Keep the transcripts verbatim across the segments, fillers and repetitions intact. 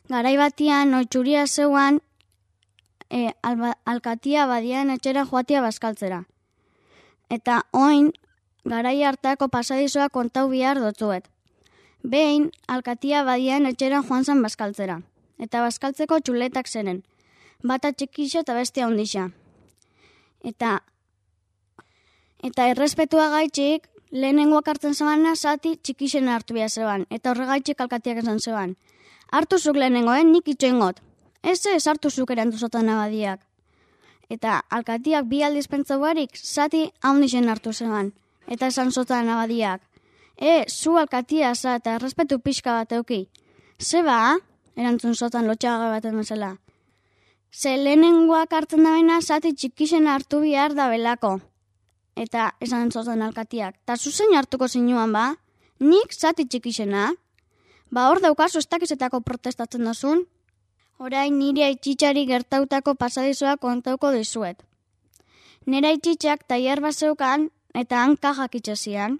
garai batian oitxuria zeuan e, alba, alkatia badian etxera joatia bazkaltzera. Eta oin, garai hartako pasadizoa kontau bihar dotzuet. Behin, alkatia badian etxera joan zan bazkaltzera. Eta bazkaltzeko txuletak zeren. Bata txikixa eta bestia handixa. Eta, eta errespetua gaitxik, lehenengoak hartzen zebana zati txikixen hartu behar zeban. Eta horregaitxik alkatiak esan zeban. Hartu zuk lehenengoen, nik itxoingot. Ez ez hartu zuk erantuzotan abadiak. Eta alkatiak bi aldiz pentsau barik, zati handixen hartu zeban. Eta esan zotan abadiak. E, zu alkatia za eta errespetu pixka bat euki. Zeba, erantzun zotan lotxaga baten bezala. Ze lehenengoak hartzen da baina zati txikixen hartu bihar da belako. Eta esan zotan alkatiak. Ta zuzen hartuko zinuan ba? Nik zati txikixena? Ba hor daukazu ez dakizetako protestatzen dozun? Orain nire aitxitxari gertautako pasadizoa kontauko dizuet. Nire aitxitxak taier bat zeukan eta han kajak itxasian.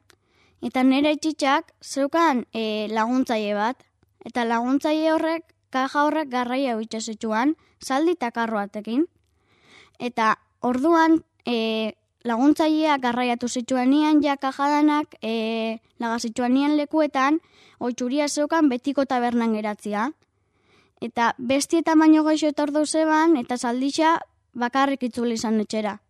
Eta nire aitxitxak zeukan e, laguntzaile bat. Eta laguntzaile horrek, kaja horrek garraia itxasitxuan, zaldi eta karroatekin. Eta orduan e, laguntzailea garraiatu zituen ja kajadanak e, lagazituen nian lekuetan, oitxuria zeukan betiko tabernan geratzia. Eta besti eta baino goixo etor dauzeban, eta zaldixa bakarrik itzuli izan etxera.